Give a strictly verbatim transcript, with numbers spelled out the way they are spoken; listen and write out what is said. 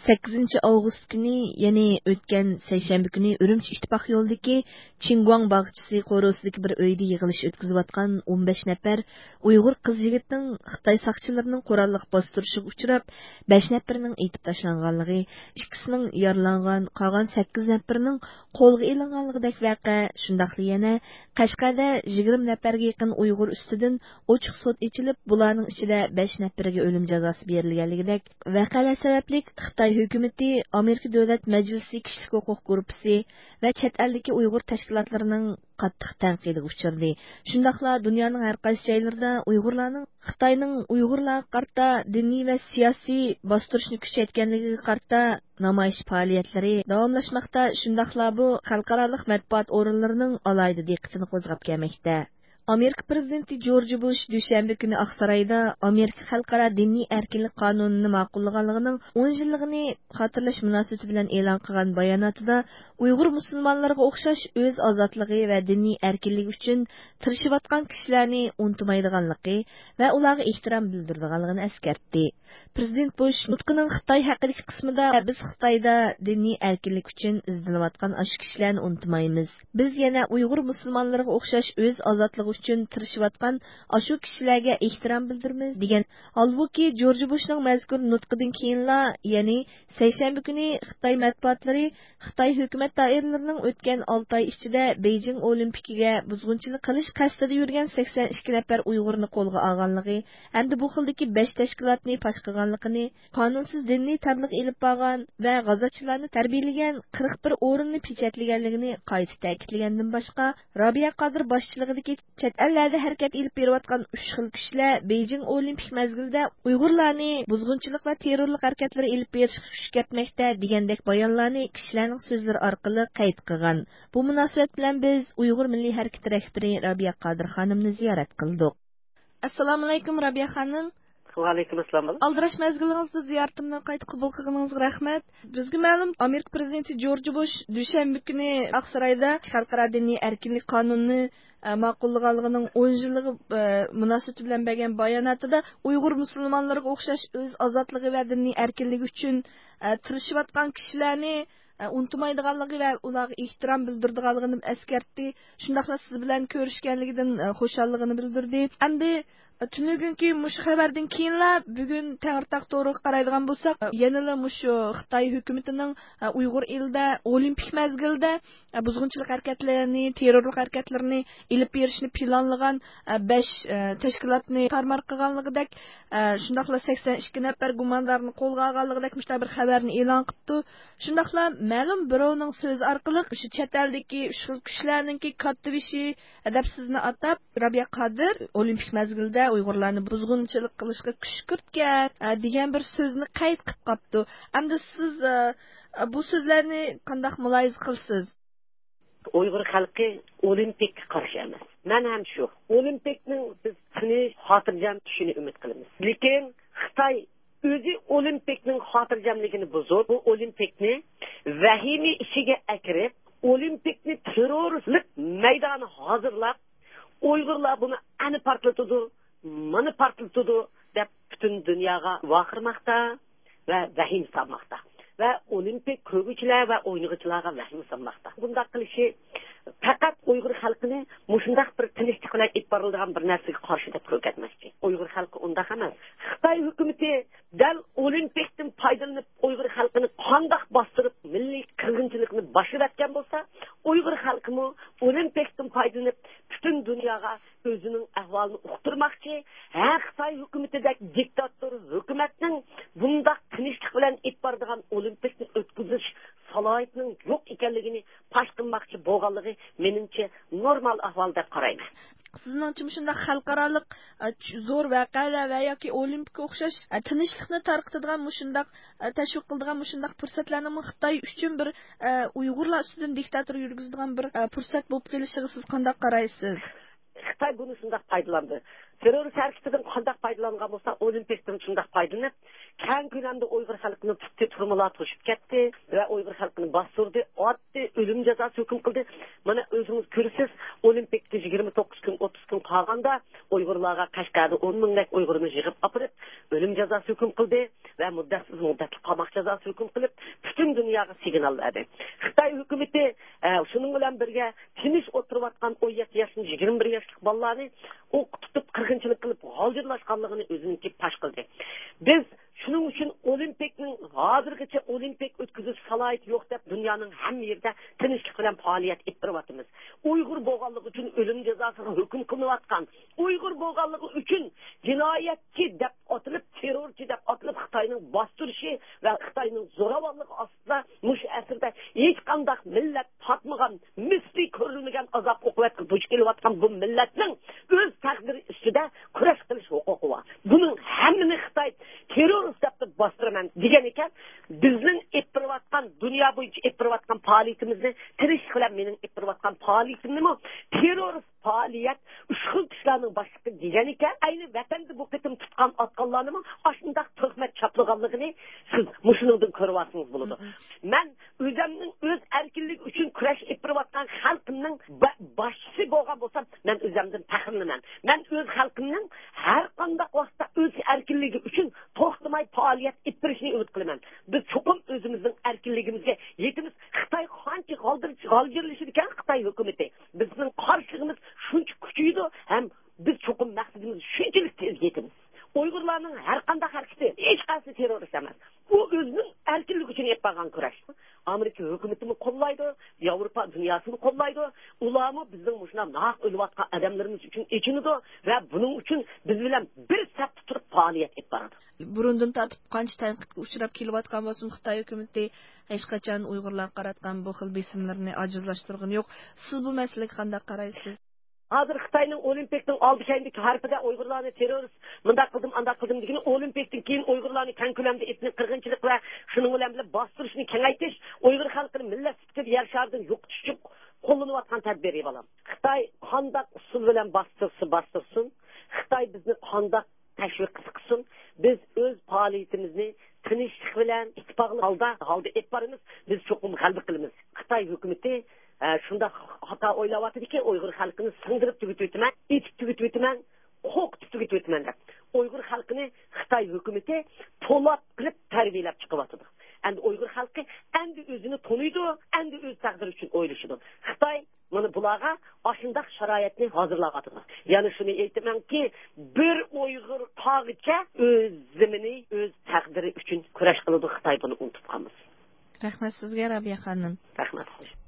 سەككىزىنچى ئاۋغۇست كۈنى، يەنى ئۆتكەن سەيشەنبە كۈنى ئۈرۈمچى ئىتتىپاق يولىدىكى چىڭگۇاڭ باغچىسى قورۇسىدىكى بىر ئۆيدە يىغىلىش ئۆتكۈزۈۋاتقان ئون بەش نەپەر ئۇيغۇر قىز-يىگىتنىڭ خىتاي ساقچىلىرىنىڭ قوراللىق باستۇرۇشىغا ئۇچراپ، بەش نەپىرىنىڭ ئېتىپ تاشلانغانلىقى، ئىككىسىنىڭ يارىلانغان، قالغان سەككىز نەپىرىنىڭ قولغا ئېلىنغانلىقىدەك ۋەقە، شۇنداقلا يەنە قەشقەردە يىگىرمە نەپەرگە يېقىن ئۇيغۇر ئۈستىدىن ئوچۇق سوت ئېچىلىپ، بۇلارنىڭ ئىچىدە بەش نەپىرىگە ئۆلۈم جازاسى بېرىلگەنلىكىدەك ۋەقەلەر سەۋەبلىك خىتاي ھۆكۈمىتى، ئامېرىكا دۆلەت مەجلىسى كىشىلىك ھوقۇق گۇرۇپپىسى ۋە چەت ئەلدىكى ئۇيغۇر تەشكىلاتلىرىنىڭ قاتتىق تەنقىدىگە ئۇچرىدى. شۇنداقلا دۇنيانىڭ ھەر قايسى جايلىرىدا ئۇيغۇرلارنىڭ خىتاينىڭ ئۇيغۇرلارغا قارىتا دىنىي ۋە سىياسىي باستۇرۇشنى كۈچەيتكەنلىكىگە قارىتا نامايىش پائالىيەتلىرى داۋاملاشماقتا. شۇنداقلا بۇ خەلقئارالىق مەتبۇئات ئورۇنلىرىنىڭ ئالاھىدە دىققىتىنى قوزغاپ كەلمەكتە. ئامېرىكا پىرېزىدېنتى جورج بۇش دۈشەنبە كۈنى ئاقسارايدا ئامېرىكا خەلقئارا دىنىي ئەركىنلىك قانۇنىنى ماقۇللىغانلىقىنىڭ ئون يىللىقىنى خاتىرىلەش مۇناسىۋىتى بىلەن ئېلان قىلغان باياناتىدا، ئۇيغۇر مۇسۇلمانلىرىغا ئوخشاش ئۆز ئازادلىقى ۋە دىنىي ئەركىنلىكى ئۈچۈن تىرىشىۋاتقان كىشىلەرنى ئۇنتۇمايدىغانلىقى ۋە ئۇلارغا ئېھتىرام بىلدۈرىدىغانلىقىنى ئەسكەرتتى. پىرېزىدېنت بۇش نۇتقىنىڭ خىتاي ھەققىدىكى قىسمىدا، بىز خىتايدا دىنىي ئەركىنلىك ئۈچۈن ئىزدىنىۋاتقان ئاشۇ كىشىلەرنى ئۇنتۇمايمىز. بىز يەنە ئۇيغۇر مۇسۇلمانلىرىغا ئوخشاش ئۆز ئازادلىقى ئۈچۈن تىرىشىۋاتقان ئاشۇ كىشىلەرگە ئېھتىرام بىلدۈرىمىز، دېگەن. ھالبۇكى، جورج بۇشنىڭ مەزكۇر نۇتقىدىن كېيىنلا، يەنى سەيشەنبە كۈنى خىتاي مەتبۇئاتلىرى خىتاي ھۆكۈمەت دائىرىلىرىنىڭ ئۆتكەن ئالتە ئاي ئىچىدە بېيجىڭ ئولىمپىكىگە بۇزغۇنچىلىق قىلىش قەستىدە يۈرگەن سەكسەن ئىككى نەپەر ئۇيغۇرنى قولغا ئالغانلىقى ھەمدە بۇ خىلدىكى بەش تەشكىلاتنى پاش قىلغانلىقىنى، قانۇنسىز دىنىي تەبلىغ ئېلىپ بارغان ۋە غازاتچىلارنى تەربىيەلىگەن قىرىق بىر ئورۇننى پېچەتلىگەنلىكىنى قايتا تەكىتلىگەندىن باشقا، رابىيە قادىر باشچىلىقىدىكى چەت ئەللەردە ھەرىكەت ئېلىپ بېرىۋاتقان ئۈچ خىل كۈچلەر بېيجىڭ ئولىمپىك مەزگىلىدە ئۇيغۇرلارنى بۇزغۇنچىلىق ۋە تېررورلۇق ھەرىكەتلىرى ئېلىپ بېرىشقا كۈچ كەتمەكتە، دېگەندەك بايانلارنى كىشىلەرنىڭ سۆزلىرى ئارقىلىق قەيت قىلغان. بۇ مۇناسىۋەت بىلەن بىز ئۇيغۇر مىللىي ھەرىكىتى رەھبىرى رابىيە قادىر خانىمنى زىيارەت قىلدۇق. ئەسسالامۇئەلەيكۇم، رابىيە خانىم. ۋەئەلەيكۇم ئەسسالام، بالام. ئالدىراش مەزگىلىڭىزدە زىيارىتىمنى قايتا قوبۇل قىلغىنىڭىزغا رەھمەت. بىزگە مەلۇم، ئامېرىكا پىرېزىدېنتى جورج بۇش دۈشەنبە كۈنى ئاقسارايدا خەلقئارا دىنىي ئەركىنلىك قانۇنىنى، ئە، ماقۇللىغانلىقىنىڭ ئون يىللىقى، ئە، مۇناسىۋىتى بىلەن بەرگەن باياناتىدا، ئۇيغۇر مۇسۇلمانلىرىغا ئوخشاش ئۆز ئازادلىقى ۋە دىنىي ئەركىنلىكى ئۈچۈن، ئە، تىرىشىۋاتقان كىشىلەرنى، ئە، ئۇنتۇمايدىغانلىقى ۋە ئۇلارغا ئېھتىرام بىلدۈرىدىغانلىقىنى ئەسكەرتتى. شۇنداقلا سىز بىلەن كۆرۈشكەنلىكىدىن، ئە، خۇشاللىقىنى بىلدۈردى. ئەمدى تۈنۈگۈنكى مۇشۇ خەۋەردىن كېيىنلا، بۈگۈن تەڭرىتاغ تورىغا قارايدىغان بولساق، يەنىلا مۇشۇ خىتاي ھۆكۈمىتىنىڭ، ئە، ئۇيغۇر ئېلىدە ئولىمپىك مەزگىلدە، ئە، بۇزغۇنچىلىق ھەرىكەتلىرىنى، تېررورلۇق ھەرىكەتلىرىنى ئېلىپ بېرىشنى پىلانلىغان، ئە، بەش، ئە، تەشكىلاتنى تارمار قىلغانلىقىدەك، ئە، شۇنداقلا سەكسەن ئىككى نەپەر گۇماندارنى قولغا ئالغانلىقىدەك مۇشۇنداق بىر خەۋەرنى ئېلان قىپتۇ. شۇنداقلا مەلۇم بىراۋنىڭ سۆزى ئارقىلىق، شۇ چەت ئەلدىكى ئۈچ خىل كۈچلەرنىڭكى كاتتىبېشى، ئەدەپسىزنى ئاتاپ، رابىيە قادىر ئولىمپىك مەزگىلدە ئۇيغۇرلارنى بۇزغۇنچىلىق قىلىشقا كۈشكۈرتكەن، ئە، دېگەن بىر سۆزنى قەيت قىلىپ قاپتۇ. ئەمدى سىز، ئە، بۇ سۆزلەرنى قانداق مۇلاھىزە قىلىسىز؟ ئۇيغۇر خەلقى ئولىمپىككە قارشى ئەمەس. مەن ھەم شۇ. ئولىمپىكنىڭ بىز تىنچ، خاتىرجەم چۈشىنى ئۈمىد قىلىمىز. لېكىن خىتاي ئۆزى ئولىمپىكنىڭ خاتىرجەملىكىنى بۇزۇپ، بۇ ئولىمپىكنى ۋەھىمە ئىچىگە ئەكىرىپ، ئولىمپىكنى تېررورلۇق مەيدانى ھازىرلاپ، ئۇيغۇرلار بۇنى ئەنە پارتلىتىدۇ، مانا پارتلىتىدۇ دەپ پۈتۈن دۇنياغا ۋارقىرىماقتا ۋە ۋەھىمە سالماقتا. ۋە ئولىمپىك كۆرگۈچىلەر ۋە ئوينىغۇچىلارغا ۋەھىمە سالماقتا. بۇنداق قىلىشى پەقەت ئۇيغۇر خەلقىنى مۇشۇنداق بىر تىنچلىق بىلەن ئېلىپ بارىلىدىغان بىر نەرسىگە قارشى دەپ كۆرسەتمەكچى. ئۇيغۇر خەلقى ئۇنداق ئەمەس. خىتاي ھۆكۈمىتى دەل ئولىمپىكتىن پايدىلىنىپ، ئۇيغۇر خەلقىنى قانداق باستۇرۇپ، مىللىي قىرغىنچىلىقنى باشلىۋەتكەن بولسا، ئۇيغۇر خەلقىمۇ ئولىمپىكتىن پايدىلىنىپ، پۈتۈن دۇنياغا ئۆزىنىڭ ئەھۋالىنى ئۇقتۇرماقچى، ھە، خىتاي ھۆكۈمىتىدەك دىكتاتور ھۆكۈمەتنىڭ بۇنداق تىنچلىق بىلەن ئېلىپ بارىدىغان ئولىمپىكنى ئۆتكۈزۈش سالاھىيىتىنىڭ يوق ئىكەنلىكىنى پاش قىلماقچى بولغانلىقى مېنىڭچە نورمال ئەھۋال دەپ قارايمەن. سىزنىڭچە مۇشۇنداق خەلقئارالىق، ئە، چ-، زور ۋەقەلەر ۋە ياكى ئولىمپىككە ئوخشاش، ئە، تىنچلىقنى تارقىتىدىغان مۇشۇنداق، ئە، تەشۋىق قىلىدىغان مۇشۇنداق پۇرسەتلەرنىڭمۇ خىتاي ئۈچۈن بىر، ئە، ئۇيغۇرلار ئۈستىدىن دىكتاتور يۈرگۈزىدىغان بىر، ئە، پۇرسەت بولۇپ قېلىشىغا سىز قانداق قارايسىز؟ خىتاي بۇنى شۇنداق پايدىلاندى. تېررورىست ھەرىكىتىدىن قانداق پايدىلانغان بولسا، ئولىمپىكتىن شۇنداق پايدىلىنىپ، كەڭ كۆلەمدە ئۇيغۇر خەلقىنى تۇتتى، تۈرمىلەر توشۇپ كەتتى ۋە ئۇيغۇر خەلقىنى باستۇردى، ئاتتى، ئۆلۈم جازاسى ھۆكۈم قىلدى. مانا ئۆزىڭىز كۆرىسىز، ئولىمپىككە يىگىرمە توققۇز كۈن، ئوتتۇز كۈن قالغاندا ئۇيغۇرلارغا قەشقەردە ئون مىڭدەك ئۇيغۇرنى يىغىپ ئاپىرىپ، ئۆلۈم جازاسى ھۆكۈم قىلدى. ۋە مۇددەتسىز مۇددەتلىك قاماق جازاسى ھۆكۈم قىلىپ، پۈتۈن دۇنياغا سىگنال بەردى. خىتاي ھۆكۈمىتى، ئە، شۇنىڭ بىلەن بىرگە تىنچ ئولتۇرۇۋاتقان ئون يەتتە ياشتىن يىگىرمە بىر ياشلىق بالىلارنى ئوققا تۇتۇپ، قىرغىنچىلىق قىلىپ، غالجىرلاشقانلىقىنى ئۆزىنىڭكى پاش قىلدى. بىز شۇنىڭ ئۈچۈن ئولىمپىكنىڭ ھازىرغىچە ئولىمپىك ئۆتكۈزۈش سالاھىيىتى يوق دەپ، دۇنيانىڭ ھەممە يېرىدە تىنچلىق بىلەن پائالىيەت ئېلىپ بېرىۋاتىمىز. ئۇيغۇر بولغانلىقى ئۈچۈن ئۆلۈم جازاسىغا ھۆكۈم قىلىنىۋاتقان، ئۇيغۇر بولغانلىقى ئۈچۈن جىنايەتچى دەپ ئاتىلىپ، تېررورچى دەپ ئاتىلىپ، خىتاينىڭ باستۇرۇشى ۋە خىتاينىڭ زوراۋانلىقى ئاستىدا مۇشۇ ئەسىردە ھېچقانداق مىللەت تارتمىغان، مىسلى كۆرۈلمىگەن ئازاب-ئوقۇبەتكە دۇچ كېلىۋاتقان بۇ مىللەتنىڭ ئۆز تەقدىرى ئۈستىدە كۈرەش قىلىش ھوقۇقى بار. بۇنىڭ ھەممىنى خىتاي تېررورىست دەپ باستۇرىمەن دېگەن ئىكەن. بىزنىڭ ئېلىپ بېرىۋاتقان، دۇنيا بويىچە ئېلىپ بېرىۋاتقان پائالىيىتىمىزنى، تىرىشلىق بىلەن مېنىڭ ئېلىپ بېرىۋاتقان پائالىيىتىمنىمۇ تېررورىست پائالىيەت، ئۈچ خىل كۈچلەرنىڭ باشلىقى دېگەن ئىكەن. ئەينى ۋەتەندە بۇ قېتىم تۇتقان ئاتقانلارنىمۇ ئاشۇنداق تۆھمەت چاپلىغانلىقىنى سىز مۇشۇنىڭدىن كۆرۈۋالسىڭىز بولىدۇ. مەن ئۆزەمنىڭ ئۆز ئەركىنلىكى ئۈچۈن كۈرەش ئېلىپ بېرىۋاتقان خەلقىمنىڭ با-، باشچىسى بولغان بولسام، مەن ئۆزەمدىن پەخىرلىنىمەن. مەن ئۆز خەلقىمنىڭ ھەر قانداق ۋاقىتتا ئۆز ئەركىنلىكى ئۈچۈن توختىماي پائالىيەت ئېلىپ بېرىشىنى ئۈمىد قىلىمەن. بىز چوقۇم ئۆزىمىزنىڭ ئەركىنلىكىمىزگە يېتىمىز. خىتاي قانچە غالدىر-، غالجىرلىشىدىكەن خىتاي ھۆكۈمىتى، بىزنىڭ قارشىلىقىمىز شۇنچە كۈچىيىدۇ ھەم بىز چوقۇم مەقسىتىمىزگە شۇنچىلىك تېز يېتىمىز. ئۇيغۇرلارنىڭ ھەر قانداق ھەرىكىتى ھېچقايسى تېررورىست ئەمەس. ئۇ ئۆزىنىڭ ئەركىنلىكى ئۈچۈن ئېلىپ بارغان كۈرەش. ئامېرىكا ھۆكۈمىتىمۇ قوللايدۇ، ياۋروپا دۇنياسىمۇ قوللايدۇ. ئۇلارمۇ بىزنىڭ مۇشۇنداق ناھەق ئۆلۈۋاتقان ئادەملىرىمىز ئۈچۈن ئېچىنىدۇ ۋە بۇنىڭ ئۈچۈن بىز بىلەن بىر سەپتە تۇرۇپ پائالىيەت ئېلىپ بارىدۇ. بۇرۇندىن تارتىپ قانچە تەنقىدكە ئۇچراپ كېلىۋاتقان بولسىمۇ، خىتاي ھۆكۈمىتى ھېچقاچان ئۇيغۇرلارغا قاراتقان بۇ خىل بېسىملىرىنى ئاجىزلاشتۇرغىنى يوق. سىز بۇ مەسىلىگە قانداق قارايسىز؟ ھازىر خىتاينىڭ ئولىمپىكنىڭ ئالدى كەينىدىكى ھارپىدا ئۇيغۇرلارنى تېررورىست، مۇنداق قىلدىم، ئانداق قىلدىم دېگىنى، ئولىمپىكتىن كېيىن ئۇيغۇرلارنى كەڭ كۆلەمدە ئېتنىك قىرغىنچىلىق ۋە شۇنىڭ بىلەن بىللە باستۇرۇشنى كېڭەيتىش، ئۇيغۇر خەلقىنى مىللەت سۈپىتىدە يەر شارىدىن يوقىتىش ئۈچۈن قوللىنىۋاتقان تەدبىرى، بالام. خىتاي قانداق ئۇسۇل بىلەن باستۇرسا باستۇرسۇن، خىتاي بىزنى قانداق تەشۋىق قىلسۇن، بىز ئۆز پائالىيىتىمىزنى تىنچلىق بىلەن، ئىتتىپاقلىق ھالدا، ھالدا ئېلىپ بارىمىز. بىز چوقۇم غەلىبە قىلىمىز. خىتاي ھۆكۈمىتى، ئە، شۇنداق خاتا ئويلاۋاتىدىكى، ئۇيغۇر خەلقىنى سىڭدۈرۈپ تۈگىتىۋېتىمەن، ئېتىپ تۈگىتىۋېتىمەن، قورقۇتۇپ تۈگىتىۋېتىمەن دەپ. ئۇيغۇر خەلقىنى خىتاي ھۆكۈمىتى پولات قىلىپ تەربىيەلەپ چىقىۋاتىدۇ. ئەمدى ئۇيغۇر خەلقى ئەمدى ئۆزىنى تونۇيدۇ، ئەمدى ئۆز تەقدىرى ئۈچۈن ئويلىشىدۇ. خىتاي مانا بۇلارغا ئاشۇنداق شارائىتنى ھازىرلاۋاتىدۇ. يەنە شۇنى ئېيتىمەنكى، بىر ئۇيغۇر قالغىچە ئۆز زېمىنى، ئۆز تەقدىرى ئۈچۈن كۈرەش قىلىدۇ. خىتاي بۇنى ئۇنتۇپ قالمىسۇن. رەھمەت سىزگە، رابىيە خانىم. رەھمەت.